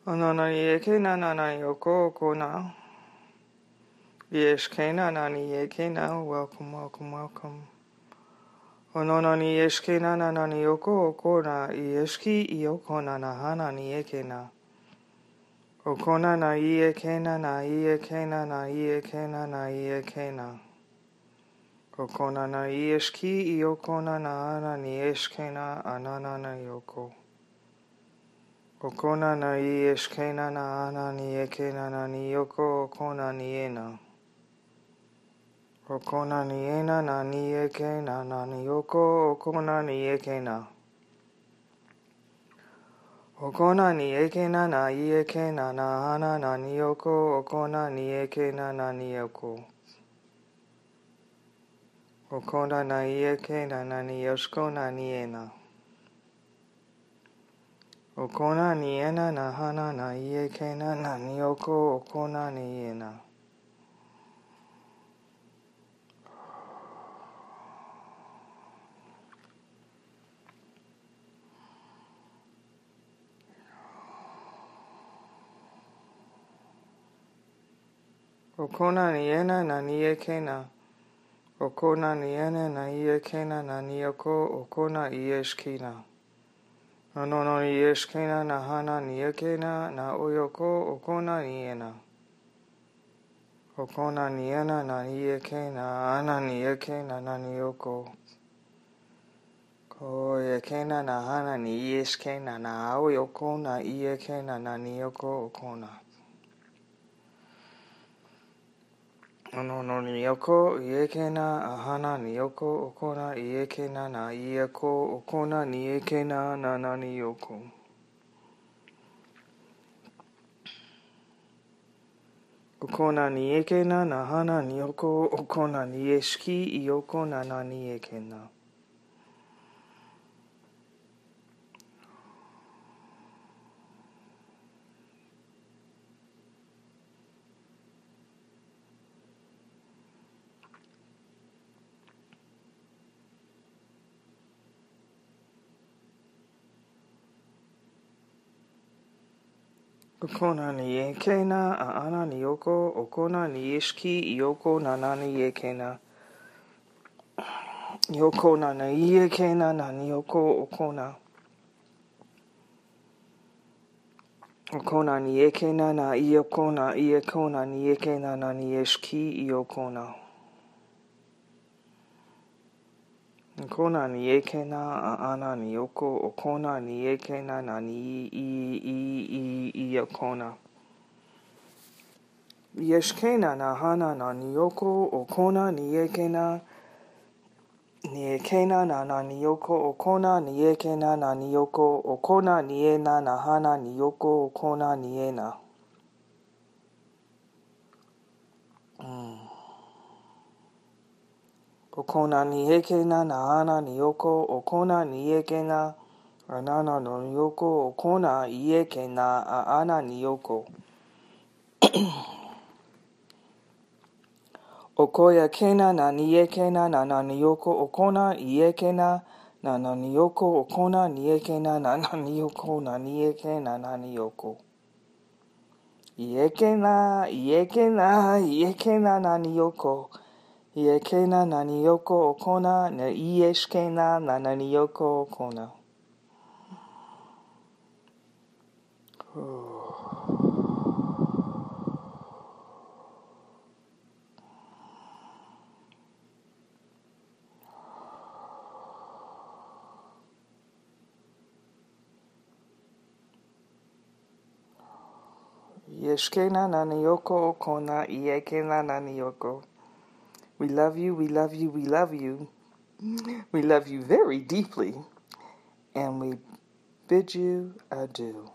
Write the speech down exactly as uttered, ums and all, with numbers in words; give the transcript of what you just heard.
Onona yeke na na na yoko okona. Yesh kena nani yeke na. Welcome, welcome, welcome. Onona ni yeshke na na na yoko okona. Yeshki yokona na hana ni yeke na. Okona na yeke na na yeke na na yeke na na yeke na. Okona na yeshki yokona na hana ni yeshke na anana na yoko. Okona na yeshkena na ana ni yekena na ni yoko okona ni ena. Okona ni ena na ni yekena na ni yoko okona ni yekena. Okona ni yekena na yekena na ana na ni yoko okona ni yekena na ni yoko. Okona na yekena na ni yoshkona ni ena. Okona ni ena na hana na yekena na ni yoko okona ni ena. Okona ni ena na ni yekena. Okona ni ena na yekena na ni yoko okona yeshkina. Anono ni yeshkina na hana ni yekena na oyoko okona ni ena. Okona ni ena na yekena ana ni yekena na ni yoko. Ko yekena na hana ni yeshkena na oyoko na yekena na ni yoko okona. Anono ni yoko yekena ahana ni yoko okona yekena na yeko okona ni yekena na na ni yoko. Okona ni yekena na hana ni yoko okona ni yeshki yoko na na ni yekena. Okona ni yekena ana ni yoko okona ni yeshki yoko na na ni yekena. Yoko na na yekena na ni yoko okona. Okona ni yekena na yokona yekona ni yekena na ni yeshki yokona. Okona ni yekena ana ni yoko okona ni yekena na ni i i i yokona. Yeshkena na hana na ni yoko okona ni yekena. Ni yekena na na ni yoko okona ni yekena na ni yoko okona ni ena na hana ni yoko okona ni ena. Mm. Okona ni yekena na hana ni yoko okona ni yekena anana no yoko okona yekena ana ni yoko. Okoya kena na ni yekena na na ni yoko okona yekena na na ni yoko okona ni yekena na na ni yoko na ni yekena na ni yoko. Yekena yekena yekena na ni yoko. Yekena na ni yoko okona na yeshkena na na ni yoko okona. Yeshkena na ni yoko okona yekena na ni yoko. We love you, we love you, we love you. We love you very deeply. And we bid you adieu.